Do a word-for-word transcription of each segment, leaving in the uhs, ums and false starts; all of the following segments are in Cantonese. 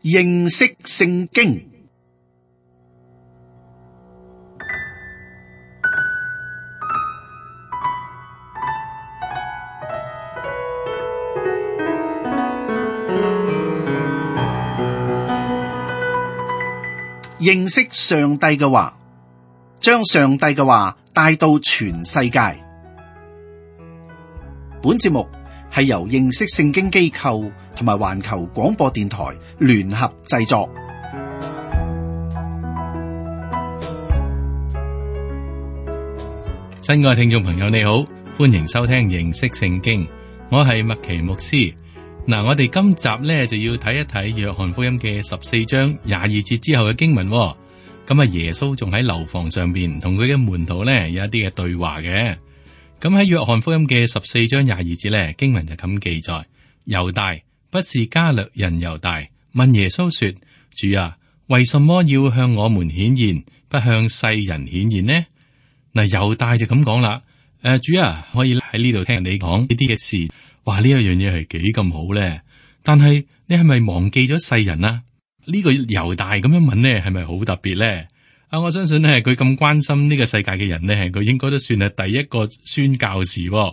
認識聖經。認識上帝嘅話，將上帝嘅話帶到全世界。本節目係由認識聖經機構同埋環球廣播電台聯合製作。親愛聽眾朋友，你好，歡迎收聽認識聖經，我係麥奇牧師。嗱，我哋今集咧就要睇一睇約翰福音嘅十四章廿二節之後嘅經文。咁啊，耶穌仲喺樓房上邊同佢嘅門徒咧有一啲嘅對話嘅。咁喺約翰福音嘅十四章廿二節咧，經文就咁記載：猶大不是加略人猶大問耶穌說：主啊，為什麼要向我們顯現，不向世人顯現呢？嗱，猶大就咁講啦。誒，主啊，可以喺呢度聽人哋講呢啲嘅事。哇！呢一樣嘢係幾咁好咧？但係你係咪忘記咗世人啊？呢個猶大咁樣問呢，係咪好特別咧？啊，我相信咧，佢咁關心呢個世界嘅人咧，佢應該都算係第一個宣教士。嗱，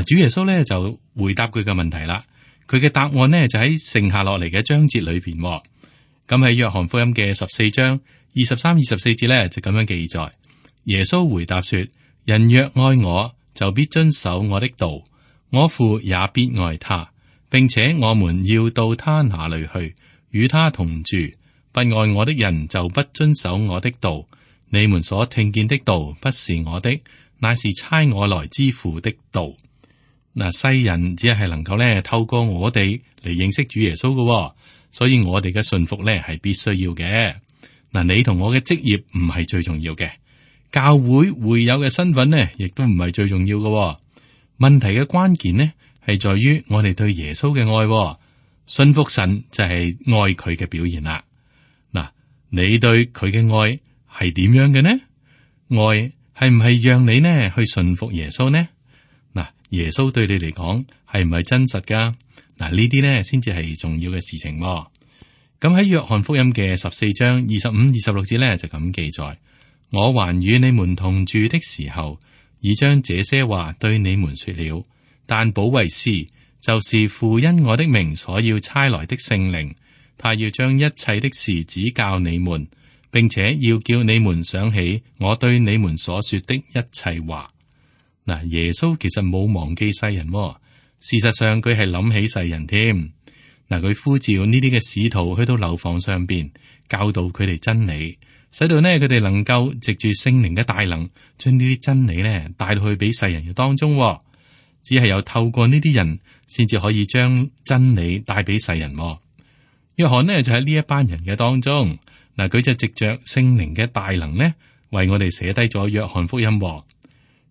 主耶穌咧就回答佢嘅問題啦。佢嘅答案呢，就喺剩下落嚟嘅章節裏邊。咁喺約翰福音嘅十四章二十三、二十四節咧就咁樣記載：耶穌回答說：人若愛我，就必遵守我的道。我父也必愛他，並且我們要到他那裏去，與他同住。不愛我的人就不遵守我的道。你們所聽見的道不是我的，乃是差我來之父的道。嗱，世人只係能夠咧透過我哋嚟認識主耶穌嘅，所以我哋嘅信服咧係必須要嘅。嗱，你同我嘅職業唔係最重要嘅，教會會友嘅身份呢，亦都唔係最重要嘅。問題嘅關鍵呢，係在於我哋對耶穌嘅愛，信服神就係愛佢嘅表現啦。嗱，你對佢嘅愛係點樣嘅呢？愛係唔係讓你呢去信服耶穌呢？嗱，耶穌對你嚟講係唔係真實噶？嗱，呢啲呢先至係重要嘅事情。咁喺約翰福音嘅十四章二十五、二十六節呢，就咁記載：我還與你們同住的時候，已將這些話對你們說了，但保惠師，就是父因我的名所要差來的聖靈，他要將一切的事指教你們，並且要叫你們想起我對你們所說的一切話。嗱，耶穌其實冇忘記世人，事實上佢係諗起世人添。嗱，佢呼召呢啲嘅使徒去到樓房上邊教導佢哋真理，使到呢佢哋能夠藉住聖靈嘅大能，將呢啲真理呢帶到去俾世人嘅當中。只係有透過呢啲人，先至可以將真理帶俾世人。約翰呢就喺呢一班人嘅當中，嗱，佢就藉着聖靈嘅大能呢，為我哋寫低咗約翰福音。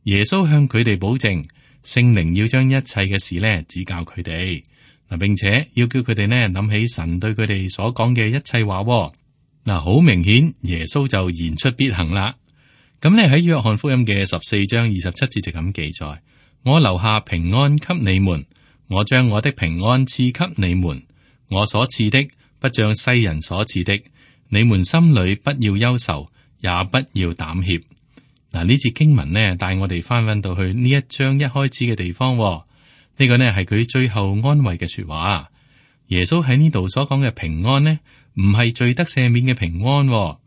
耶穌向佢哋保證，聖靈要將一切嘅事呢指教佢哋，嗱，並且要叫佢哋呢諗起神對佢哋所講嘅一切話。嗱，好明顯耶穌就言出必行啦。咁呢喺約翰福音嘅十四章二十七節就咁記載：我留下平安給你們，我將我的平安賜給你們，我所賜的不像世人所賜的，你們心裏不要憂愁，也不要膽怯。嗱，呢節經文呢帶我哋翻返到去呢一章一開始嘅地方。呢、這個呢係佢最後安慰嘅說話。耶穌喺呢度所講嘅平安呢，唔係罪得赦免嘅平安。嗱，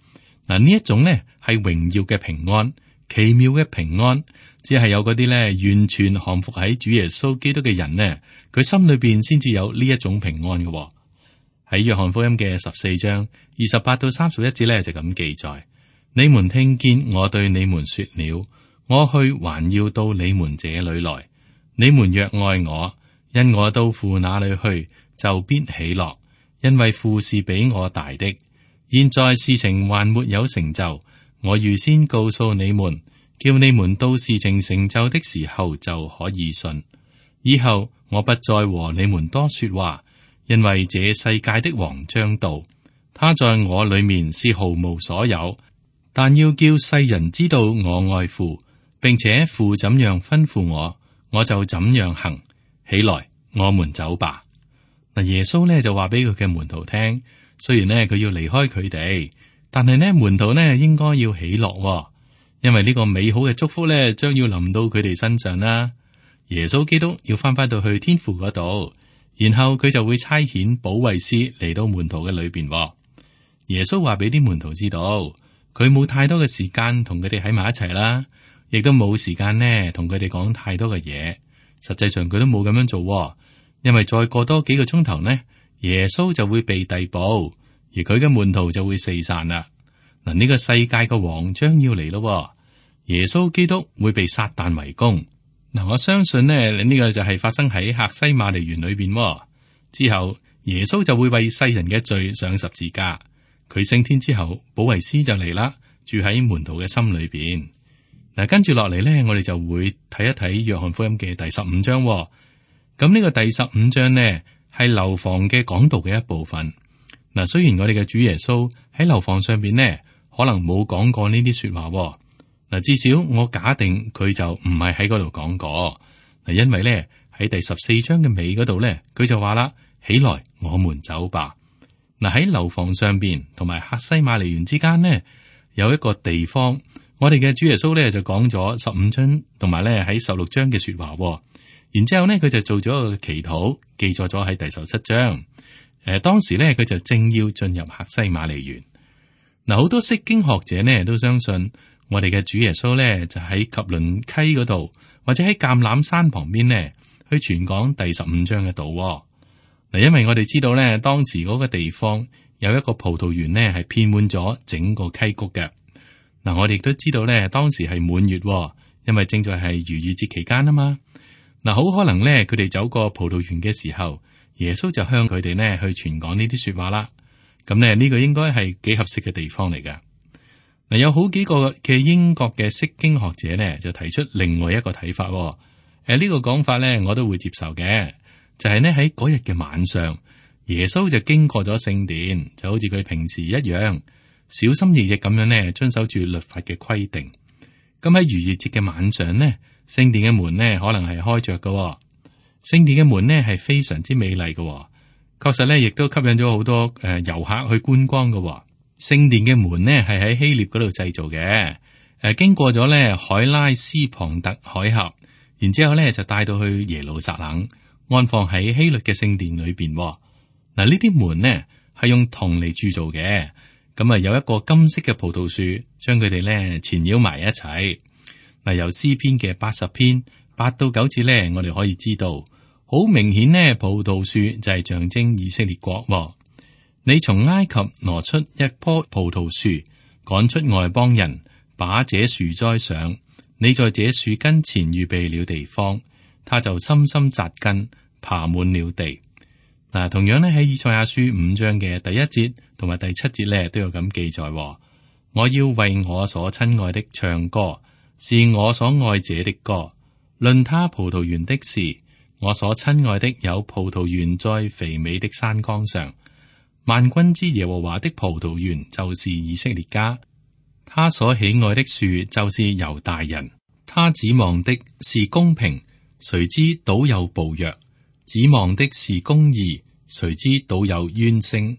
呢一種呢係榮耀嘅平安，奇妙嘅平安，只係有嗰啲呢完全降服喺主耶穌基督嘅人呢，佢心裏邊先至有呢一種平安嘅。喺約翰福音嘅十四章二十八到三十一節呢，就咁記載：你們聽見我對你們說了，我去還要到你們這裏來。你們若愛我，因我到父那裏去，就必喜樂，因為父是比我大的。現在事情還沒有成就，我預先告訴你們，叫你們到事情成就的時候就可以信。以後我不再和你們多說話，因為這世界的王將到，他在我裏面是毫無所有，但要叫世人知道我愛父，並且父怎樣吩咐我，我就怎樣行。起來，我們走吧。嗱，耶穌咧就話俾佢嘅門徒聽，雖然咧佢要離開佢哋，但係呢門徒呢應該要喜樂，因為呢個美好嘅祝福咧將要臨到佢哋身上啦。耶穌基督要翻返到去天父嗰度，然後佢就會差遣保惠師嚟到門徒嘅裏邊。耶穌話俾啲門徒知道，佢冇太多嘅時間同佢哋喺埋一齊啦，亦都冇時間呢同佢哋講太多嘅嘢。實際上佢都冇咁樣做，因為再過多幾個鐘頭呢，耶穌就會被逮捕，而佢嘅門徒就會四散啦。嗱，呢個世界嘅王將要嚟咯，耶穌基督會被撒旦圍攻。嗱，我相信呢，呢個就係發生喺客西馬尼園裏邊之後，耶穌就會為世人嘅罪上十字架。佢升天之後，保惠師就嚟啦，住喺門徒嘅心裏邊。嗱，跟住落嚟呢，我哋就會睇一睇約翰福音嘅第十五章。咁呢個第十五章呢，係樓房嘅講道嘅一部分。嗱，雖然我哋嘅主耶穌喺樓房上邊呢，可能冇講過呢啲說話。嗱，至少我假定佢就唔係喺嗰度講過。嗱，因為咧喺第十四章嘅尾嗰度咧，佢就話啦：起來，我們走吧。嗱，喺樓房上邊同埋客西馬尼園之間呢，有一個地方，我哋嘅主耶穌咧就講咗十五章同埋咧喺十六章嘅說話。然之後咧，佢就做咗一個祈禱，記載咗喺第十七章。誒，當時咧佢就正要進入客西馬尼園。嗱，好多釋經學者呢都相信我哋嘅主耶穌咧就喺汲淪溪嗰度，或者喺橄欖山旁邊呢去傳講第十五章嘅道。嗱，因為我哋知道咧，當時嗰個地方有一個葡萄園呢係遍滿咗整個溪谷嘅。嗱，我哋亦都知道咧，當時係滿月，因為正在係逾越節期間啊嘛。嗱，好可能咧，佢哋走過葡萄園嘅時候，耶穌就向佢哋呢去傳講呢啲說話啦。咁呢，呢個應該係幾合適嘅地方嚟噶。嗱，有好幾個嘅英國嘅釋經學者呢，就提出另外一個睇法。誒，呢個講法呢，我都會接受嘅。就係呢，喺嗰日嘅晚上，耶穌就經過咗聖殿，就好似佢平時一樣，小心翼翼咁樣呢遵守住律法嘅規定。咁喺逾越節嘅晚上呢，聖殿嘅門呢可能係開着嘅。聖殿嘅門呢係非常之美麗嘅，確實呢亦都吸引咗好多誒遊客去觀光嘅。聖殿嘅門呢係喺希臘嗰度製造嘅，誒經過咗呢海拉斯龐特海峽，然之後呢就帶到去耶路撒冷，安放喺希律嘅聖殿裏邊。嗱，呢啲門呢係用銅嚟鑄造嘅，咁啊有一個金色嘅葡萄樹將佢哋呢纏繞埋一齊。嗱，由詩篇嘅八十篇八到九節呢，我哋可以知道，好明顯呢，葡萄樹就係象徵以色列國。你從埃及挪出一棵葡萄樹，趕出外邦人，把這樹栽上。你在這樹根前預備了地方，它就深深扎根，爬滿了地。嗱，同樣呢，喺以賽亞書五章嘅第一節同埋第七節呢，都有咁記載。我要為我所親愛的唱歌，是我所愛者的歌。論他葡萄園的事，我所親愛的有葡萄園在肥美的山崗上。萬軍之耶和華的葡萄園就是以色列家，他所喜愛的樹就是猶大人。他指望的是公平，誰知倒有暴虐；指望的是公義，誰知倒有冤聲。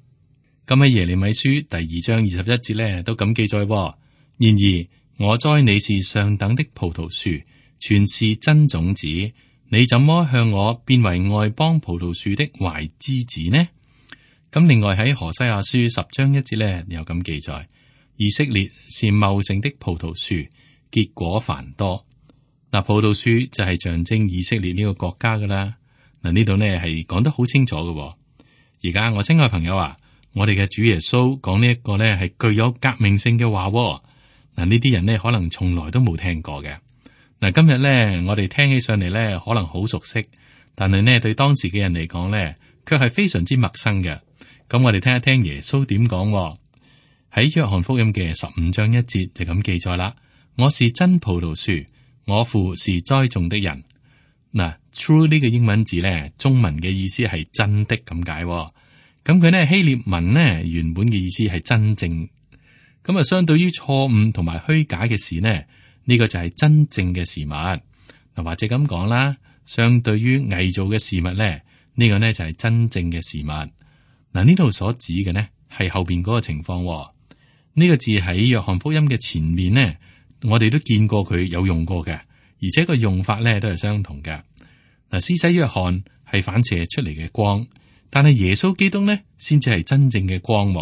咁喺耶利米書第二章二十一節呢，都咁記載。然而我栽你是上等的葡萄樹，全是真種子。你怎麼向我變為外邦葡萄樹的壞枝子呢？咁另外喺何西阿書十章一節咧，有咁記載：以色列是茂盛的葡萄樹，結果繁多。嗱，葡萄樹就係象徵以色列呢個國家噶啦。嗱，呢度呢係講得好清楚嘅。而家我親愛朋友啊，我哋嘅主耶穌講呢一個呢係具有革命性嘅話。嗱，呢啲人呢可能從來都冇聽過嘅。嗱，今日呢我哋聽起上嚟呢可能好熟悉，但係呢對當時嘅人嚟講呢，卻係非常之陌生嘅。咁我哋聽一聽耶穌點講。喺約翰福音嘅十五章一節就咁記載啦。我是真葡萄樹，我父是栽種的人。嗱，true 呢個英文字咧，中文嘅意思係真的咁解。咁佢呢希臘文呢原本嘅意思係真正。咁啊，相對於錯誤同埋虛假嘅事呢，呢個就係真正嘅事物。嗱，或者咁講啦，相對於偽造嘅事物咧，呢個呢就係真正嘅事物。嗱，呢度所指嘅呢係後邊嗰個情況。呢個字喺約翰福音嘅前面呢，我哋都見過佢有用過嘅，而且個用法呢都係相同嘅。嗱，施洗約翰係反射出嚟嘅光，但係耶穌基督呢先至係真正嘅光。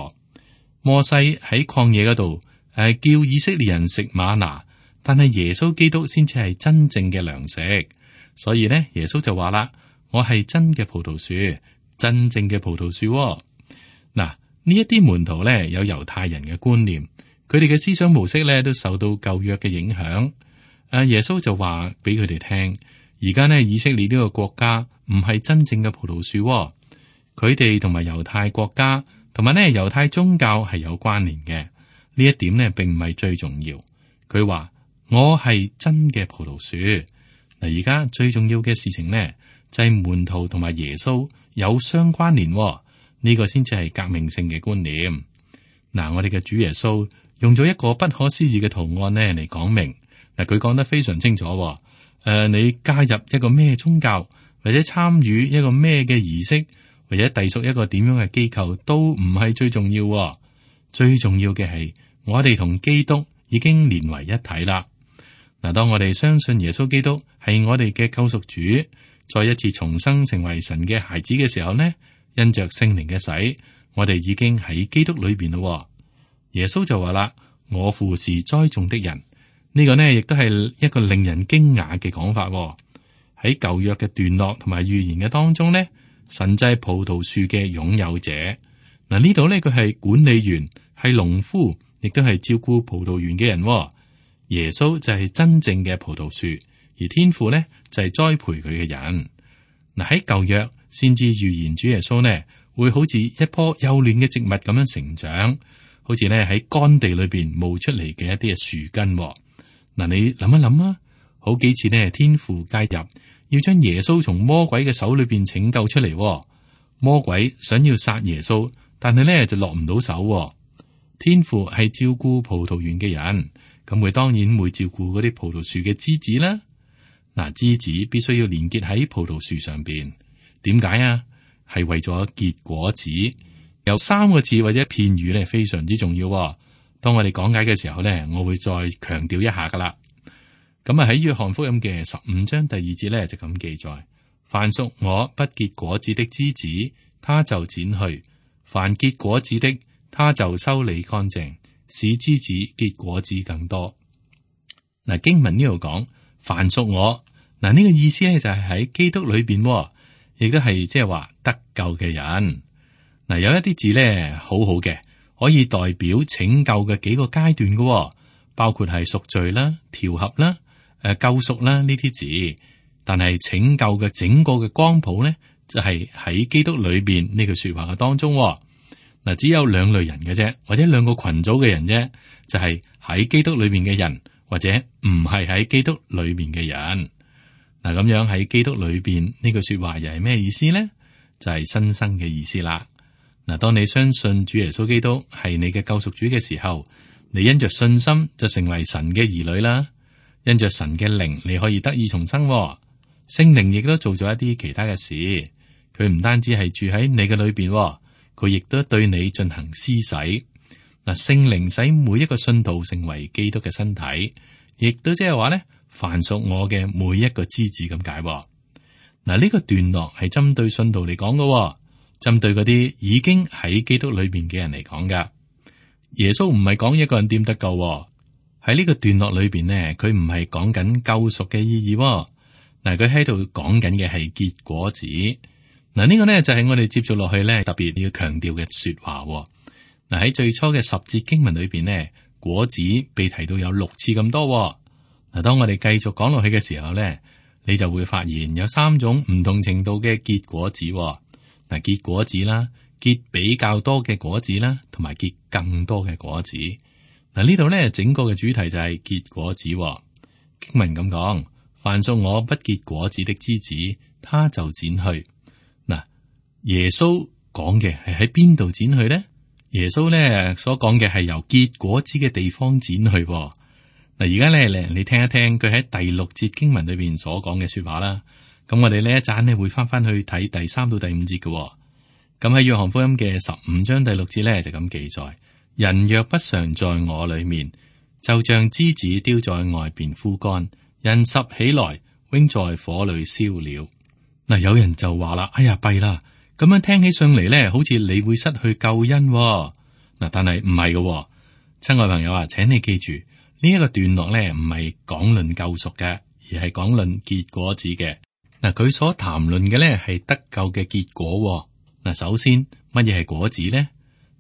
摩西喺曠野嗰度誒叫以色列人食嗎哪，但係耶穌基督先至係真正嘅糧食。所以呢，耶穌就話啦：我係真嘅葡萄樹，真正嘅葡萄樹。嗱，呢一啲門徒咧有猶太人嘅觀念，佢哋嘅思想模式咧都受到舊約嘅影響。誒，耶穌就話俾佢哋聽：而家呢，以色列呢個國家唔係真正嘅葡萄樹，佢哋同埋猶太國家同埋呢猶太宗教係有關聯嘅。呢一點呢並唔係最重要。佢話我係真嘅葡萄樹。嗱，而家最重要嘅事情呢，就係門徒同埋耶穌有相關聯，呢個先至係革命性嘅觀念。嗱，我哋嘅主耶穌用咗一個不可思議嘅圖案呢嚟講明。嗱，佢講得非常清楚。誒、呃，你加入一個咩宗教，或者參與一個咩嘅儀式，或者隸屬一個點樣嘅機構，都唔係最重要。最重要嘅係我哋同基督已經連為一體啦。嗱，當我哋相信耶穌基督係我哋嘅救贖主，再一次重生成為神嘅孩子嘅時候呢，因着聖靈嘅洗，我哋已經喺基督裏邊咯。耶穌就話啦：我父是栽種的人。呢個呢亦都係一個令人驚訝嘅講法。喺舊約嘅段落同埋預言嘅當中呢，神就係葡萄樹嘅擁有者。嗱，呢度呢，佢係管理員，係農夫，亦都係照顧葡萄園嘅人。耶穌就係真正嘅葡萄樹，而天父呢就係栽培佢嘅人。嗱，喺舊約先至預言主耶穌呢會好似一棵幼嫩嘅植物咁樣成長，好似呢喺乾地裏邊冒出嚟嘅一啲嘅樹根。嗱，你諗一諗啊，好幾次呢天父介入，要將耶穌從魔鬼嘅手裏邊拯救出嚟。魔鬼想要殺耶穌，但係呢就落唔到手。天父係照顧葡萄園嘅人。咁佢當然會照顧嗰啲葡萄樹嘅枝子啦。嗱，枝子必須要連結喺葡萄樹上邊。點解啊？係為咗結果子。有三個字或者片語咧，非常之重要。當我哋講解嘅時候咧，我會再強調一下噶啦。咁啊喺約翰福音嘅十五章第二節咧就咁記載：凡屬我不結果子的枝子，他就剪去；凡結果子的，他就修理乾淨，使枝子結果子更多。嗱，經文呢度講凡屬我，嗱、這、呢個意思咧就係喺基督裏邊，亦都係即係話得救嘅人。嗱，有一啲字咧好好嘅，可以代表拯救嘅幾個階段嘅，包括係贖罪啦、調合啦、誒救贖啦呢啲字。但係拯救嘅整個嘅光譜咧，就係喺基督裏邊呢句說話嘅當中。嗱，只有兩類人嘅啫，或者兩個群組嘅人啫，就係喺基督裏面嘅人，或者唔係喺基督裏面嘅人。嗱，咁樣喺基督裏邊呢句說話又係咩意思呢？就係新生嘅意思啦。嗱，當你相信主耶穌基督係你嘅救贖主嘅時候，你因着信心就成為神嘅兒女啦。因着神嘅靈，你可以得以重生。聖靈亦都做咗一啲其他嘅事，佢唔單止係住喺你嘅裏邊。佢亦都對你進行施洗。嗱，聖靈使每一個信徒成為基督嘅身體，亦都即係話咧，凡屬我嘅每一個枝子咁解。嗱，呢個段落係針對信徒嚟講嘅，針對嗰啲已經喺基督裏邊嘅人嚟講噶。耶穌唔係講一個人點得救喺呢個段落裏邊呢，佢唔係講緊救贖嘅意義。嗱，佢喺度講緊嘅係結果子。嗱，呢個呢就係我哋接續落去呢特別要強調嘅說話。嗱，喺最初嘅十節經文裏邊呢，果子被提到有六次咁多。嗱，當我哋繼續講落去嘅時候呢，你就會發現有三種唔同程度嘅結果子。嗱，結果子啦，結比較多嘅果子啦，同埋結更多嘅果子。嗱，呢度呢整個嘅主題就係結果子。經文咁講：凡屬我不結果子的枝子，他就剪去。耶穌講嘅係喺邊度剪去呢？耶穌咧所講嘅係由結果子嘅地方剪去。嗱，而家咧，你聽一聽佢喺第六節經文裏邊所講嘅說話啦。咁我哋呢一陣呢會翻翻去睇第三到第五節嘅、哦。咁喺約翰福音嘅十五章第六節呢，就咁記載：人若不常在我裏面，就像枝子丟在外邊枯乾，人拾起來，扔在火裏燒了。嗱，有人就話啦：哎呀，弊啦！咁樣聽起上嚟呢，好似你會失去救恩、哦。嗱，但係唔係嘅，親愛朋友啊，請你記住呢一、這個段落呢，唔係講論救贖嘅，而係講論結果子嘅。嗱，佢所談論嘅呢係得救嘅結果、哦。嗱，首先乜嘢係果子呢？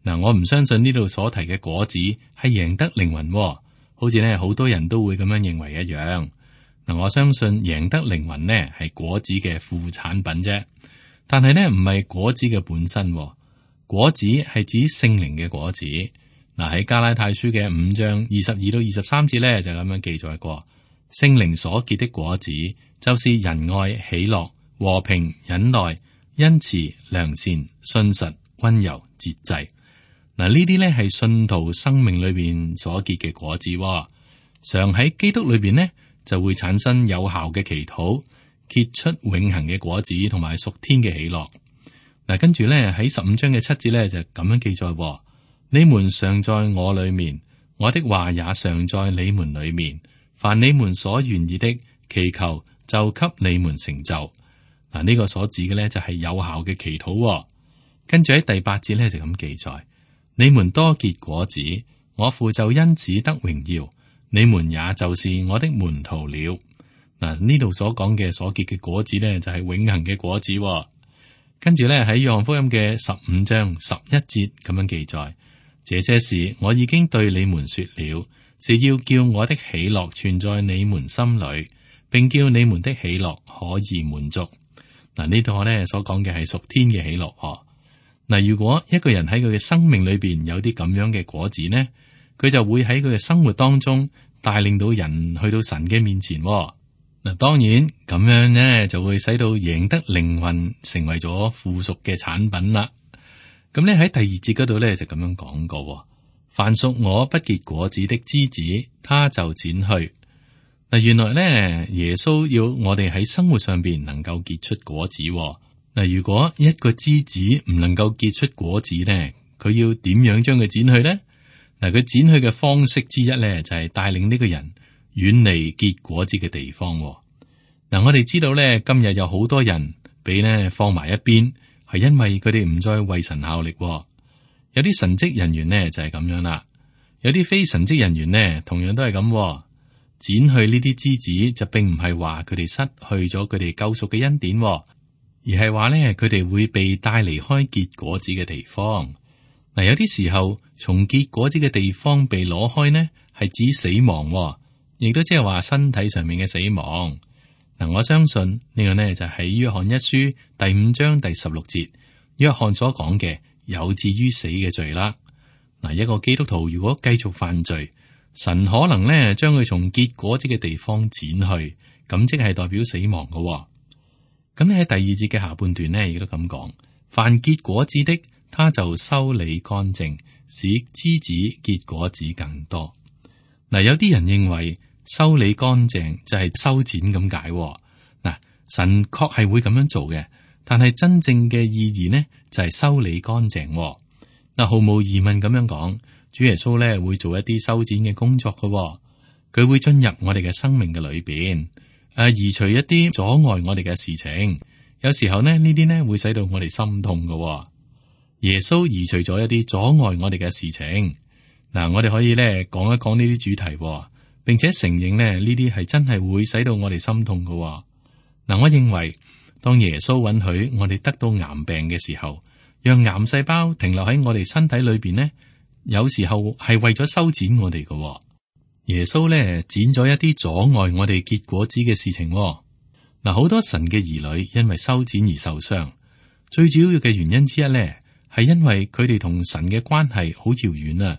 嗱，我唔相信呢度所提嘅果子係贏得靈魂、哦，好似呢好多人都會咁樣認為一樣。嗱，我相信贏得靈魂呢係果子嘅副產品啫，但係呢唔係果子嘅本身、哦。果子係指聖靈嘅果子。嗱，喺加拉太書嘅五章二十二到二十三節呢，就咁樣記載過，聖靈所結的果子就是仁愛、喜樂、和平、忍耐、恩慈、良善、信實、溫柔、節制。嗱，呢啲呢係信徒生命裏邊所結嘅果子、哦，常喺基督裏邊呢就會產生有效嘅祈禱，結出永恆嘅果子同埋屬天嘅喜樂。嗱，跟住咧喺十五章嘅七節咧就咁樣記載：你們常在我裏面，我的話也常在你們裏面。凡你們所願意的，祈求就給你們成就。嗱，呢個所指嘅咧就係有效嘅祈禱。跟住喺第八節咧就咁記載：你們多結果子，我父就因此得榮耀。你們也就是我的門徒了。嗱，呢度所講嘅所結嘅果子咧就係永恆嘅果子。跟住咧喺約翰福音嘅十五章十一節咁樣記載：這些事我已經對你們說了，是要叫我的喜樂存在你們心裏，並叫你們的喜樂可以滿足。嗱，呢度咧所講嘅係屬天嘅喜樂。嗱，如果一個人喺佢嘅生命裏邊有啲咁樣嘅果子呢，佢就會喺佢嘅生活當中帶領到人去到神嘅面前。嗱，當然咁樣呢就會使到贏得靈魂成為咗附屬嘅產品啦。咁呢喺第二節嗰度呢，就咁樣講過：凡屬我不結果子的枝子，他就剪去。嗱，原來呢耶穌要我哋喺生活上邊能夠結出果子。嗱，如果一個枝子唔能夠結出果子呢，佢要點樣將佢剪去呢？嗱，佢剪去嘅方式之一呢，就係帶領呢個人遠離結果子嘅地方。嗱，我哋知道咧，今日有好多人俾呢放埋一邊，係因為佢哋唔再為神效力。有啲神職人員呢就係咁樣啦，有啲非神職人員呢同樣都係咁。剪去呢啲枝子就並唔係話佢哋失去咗佢哋救贖嘅恩典，而係話咧佢哋會被帶離開結果子嘅地方。嗱，有啲時候從結果子嘅地方被攞開呢，係指死亡，亦都即係話身體上面嘅死亡。嗱，我相信呢個呢就係約翰一書第五章第十六節，約翰所講嘅有至於死嘅罪啦。嗱，一個基督徒如果繼續犯罪，神可能呢將佢從結果子嘅地方剪去，咁即係代表死亡嘅。咁喺第二節嘅下半段呢，亦都咁講：凡結果子的，他就修理乾淨，使枝子結果子更多。嗱，有啲人認為修理乾淨就係修剪咁解。嗱，神確係會咁樣做嘅，但係真正嘅意義呢就係修理乾淨。嗱，毫無疑問咁樣講，主耶穌咧會做一啲修剪嘅工作嘅，佢會進入我哋嘅生命嘅裏邊，誒，移除一啲阻礙我哋嘅事情。有時候呢，呢啲呢會使到我哋心痛嘅。耶穌移除咗一啲阻礙我哋嘅事情。嗱，我哋可以咧講一講呢啲主題，並且承認咧呢啲係真係會使到我哋心痛嘅。嗱，我認為當耶穌允許我哋得到癌病嘅時候，讓癌細胞停留喺我哋身體裏邊呢，有時候係為咗修剪我哋嘅。耶穌咧剪咗一啲阻礙我哋結果子嘅事情。嗱，好多神嘅兒女因為修剪而受傷，最主要嘅原因之一咧係因為佢哋同神嘅關係好遙遠啊。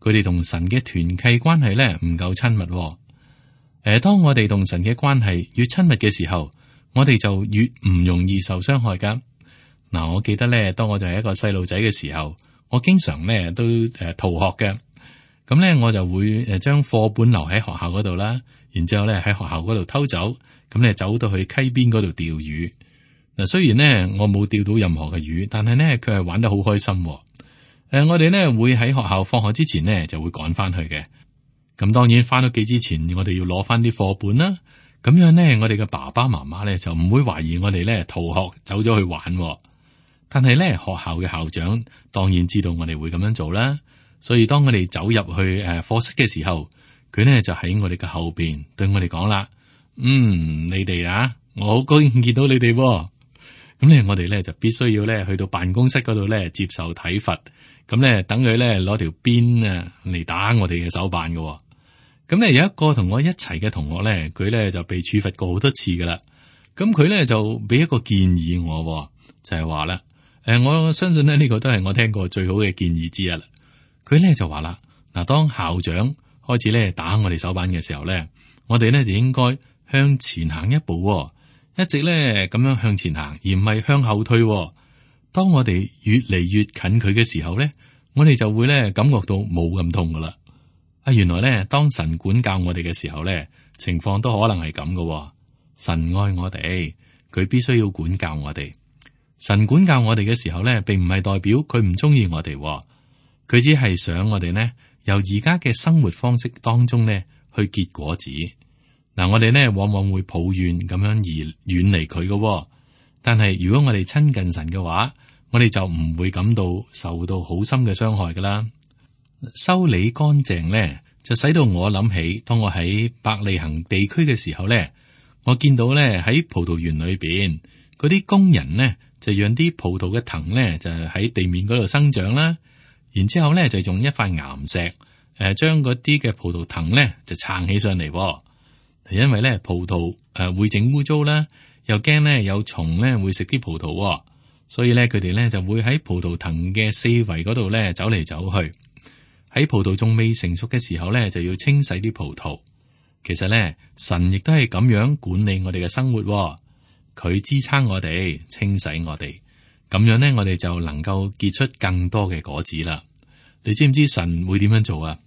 佢哋同神嘅團契關係咧唔夠親密。誒，當我哋同神嘅關係越親密嘅時候，我哋就越唔容易受傷害噶。嗱，我記得咧，當我就係一個細路仔嘅時候，我經常咧都誒逃學嘅。咁咧我就會誒將課本留喺學校嗰度啦，然之後咧喺學校嗰度偷走，咁咧走到去溪邊嗰度釣魚。嗱，雖然咧我冇釣到任何嘅魚，但係咧佢係玩得好開心。誒、呃，我哋咧會喺學校放學之前咧就會趕翻去嘅。咁當然翻屋企之前，我哋要攞翻啲課本啦。咁樣咧，我哋嘅爸爸媽媽咧就唔會懷疑我哋咧逃學走咗去玩。但係咧學校嘅校長當然知道我哋會咁樣做啦。所以當我哋走入去誒課室嘅時候，佢咧就喺我哋嘅後邊對我哋講啦：嗯，你哋啊，我好高興見到你哋。咁咧，我哋咧就必須要咧去到辦公室嗰度咧接受體罰。咁咧等佢咧攞條鞭啊嚟打我哋嘅手板嘅。咁咧有一個同我一齊嘅同學咧，佢咧就被處罰過好多次噶啦。咁佢咧就俾一個建議我，就係話啦，誒，我相信咧呢個都係我聽過最好嘅建議之一啦。佢咧就話啦，嗱，當校長開始咧打我哋手板嘅時候咧，我哋咧就應該向前行一步，一直咧咁樣向前行，而唔係向後退。當我哋越嚟越近佢嘅時候咧，我哋就會咧感覺到冇咁痛噶啦。啊，原來咧當神管教我哋嘅時候咧，情況都可能係咁噶。神愛我哋，佢必須要管教我哋。神管教我哋嘅時候咧，並唔係代表佢唔中意我哋。佢只係想我哋呢，由而家嘅生活方式當中呢去結果子。嗱，我哋呢往往會抱怨咁樣而遠離佢嘅，但係如果我哋親近神嘅話，我哋就唔會感到受到好深嘅傷害噶啦。修理乾淨呢，就使到我諗起，當我喺伯利恆地區嘅時候呢，我見到呢喺葡萄園裏邊嗰啲工人呢，就讓啲葡萄嘅藤呢，就喺地面嗰度生長啦。然之後咧，就用一塊岩石，誒、呃，將嗰啲嘅葡萄藤咧就撐起上嚟。因為咧葡萄誒、呃、會整污糟啦，又驚咧有蟲咧會食啲葡萄，所以咧佢哋咧就會喺葡萄藤嘅四圍嗰度咧走嚟走去。喺葡萄仲未成熟嘅時候咧，就要清洗啲葡萄。其實咧，神亦都係咁樣管理我哋嘅生活，佢支撐我哋，清洗我哋。咁樣咧，我哋就能夠結出更多嘅果子啦。你知唔知神會點樣做啊？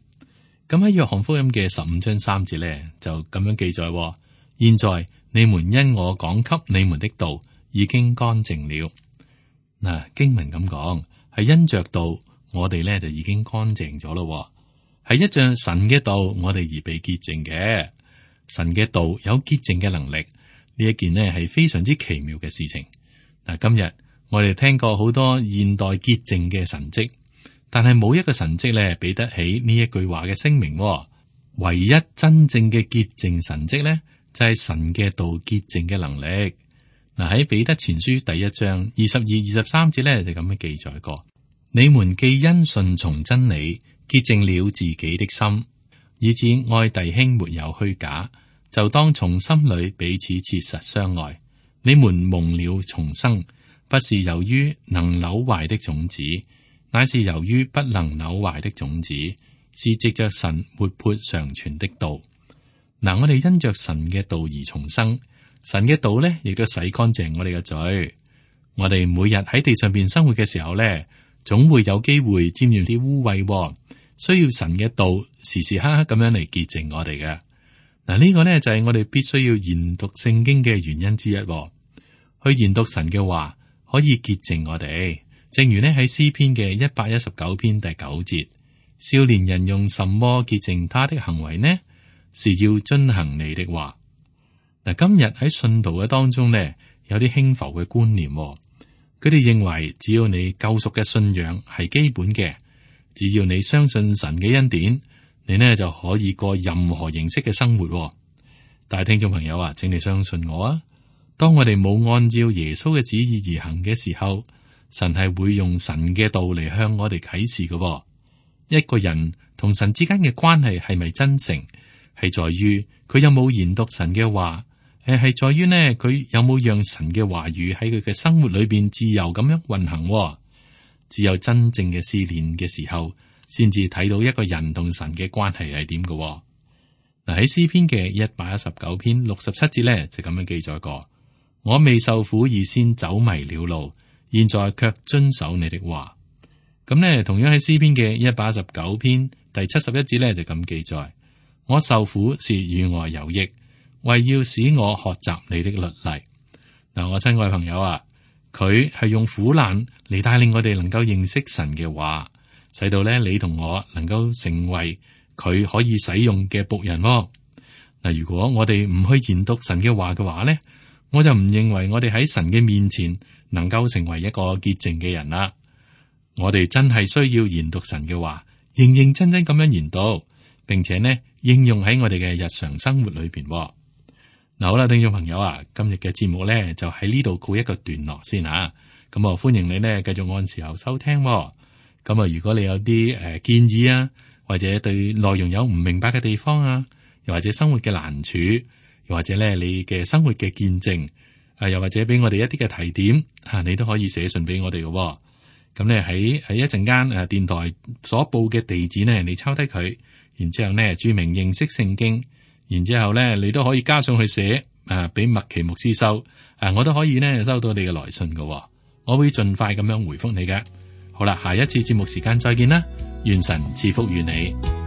咁喺約翰福音嘅十五章三節咧，就咁樣記載：現在你們因我講給你們的道已經乾淨了。嗱，經文咁講，係因着道，我哋咧就已經乾淨咗咯。係一仗神嘅道，我哋而被潔淨嘅。神嘅道有潔淨嘅能力，呢一件呢係非常之奇妙嘅事情。嗱，今日我哋聽過好多現代潔淨嘅神蹟，但係冇一個神蹟咧比得起呢一句話嘅聲明。唯一真正嘅潔淨神蹟咧，就係神嘅道潔淨嘅能力。嗱，喺彼得前書第一章二十二、二十三節咧就咁樣記載過：你們既因順從真理潔淨了自己的心，以致愛弟兄沒有虛假，就當從心裏彼此切實相愛。你們蒙了重生，不是由於能朽壞的種子，乃是由於不能朽壞的種子，是藉着神活潑常存的道。嗱，我哋因着神嘅道而重生，神嘅道咧亦都洗乾淨我哋嘅罪。我哋每日喺地上邊生活嘅時候咧，總會有機會沾染啲污穢，需要神嘅道時時刻刻咁樣嚟潔淨我哋嘅。嗱，呢個呢，就係我哋必須要研讀聖經嘅原因之一。去研讀神嘅話，可以潔淨我哋。正如呢喺詩篇嘅一百一十九篇第九節，少年人用什麼潔淨他的行為呢？是要遵行你的話。嗱，今日喺信徒嘅當中呢，有啲輕浮嘅觀念，佢哋認為只要你救贖嘅信仰係基本嘅，只要你相信神嘅恩典，你呢就可以過任何形式嘅生活。但係聽眾朋友啊，請你相信我啊，當我哋冇按照耶穌嘅旨意而行嘅時候，神係會用神嘅道嚟向我哋啟示嘅。一個人同神之間嘅關係係咪真誠，係在於佢有冇研讀神嘅話，誒，係在於呢佢有冇讓神嘅話語喺佢嘅生活裏邊自由咁樣運行。只有真正嘅試煉嘅時候，先至睇到一個人同神嘅關係係點嘅。嗱，喺詩篇嘅一百一十九篇六十七節咧就咁樣記載過：我未受苦以先走迷了路，現在卻遵守你的話。咁呢，同樣喺詩篇嘅一百一十九篇第七十一節咧就咁記載：我受苦是與我有益，為要使我學習你的律例。嗱，我親愛朋友啊，佢係用苦難嚟帶領我哋能夠認識神嘅話，使到咧你同我能夠成為佢可以使用嘅僕人。嗱，如果我哋唔去研讀神嘅話嘅話咧，我就唔認為我哋喺神嘅面前能夠成為一個潔淨嘅人啦。我哋真係需要研讀神嘅話，認認真真咁樣研讀，並且呢應用喺我哋嘅日常生活裏邊。嗱，好啦，聽眾朋友啊，今日嘅節目咧就喺呢度告一個段落先吓。咁啊，歡迎你呢繼續按時候收聽。咁啊，如果你有啲誒建議啊，或者對內容有唔明白嘅地方啊，又或者生活嘅難處，又或者咧你嘅生活嘅見證，啊，又或者俾我哋一啲嘅提點啊，你都可以寫信俾我哋嘅。咁咧喺喺一陣間誒電台所報嘅地址呢，你抄低佢，然之後呢注明認識聖經。然之後咧，你都可以加上去寫，誒，俾麥奇牧師收，誒，我都可以呢收到你嘅來信嘅，我會盡快咁樣回覆你嘅。好啦，下一次節目時間再見啦，願神賜福於你。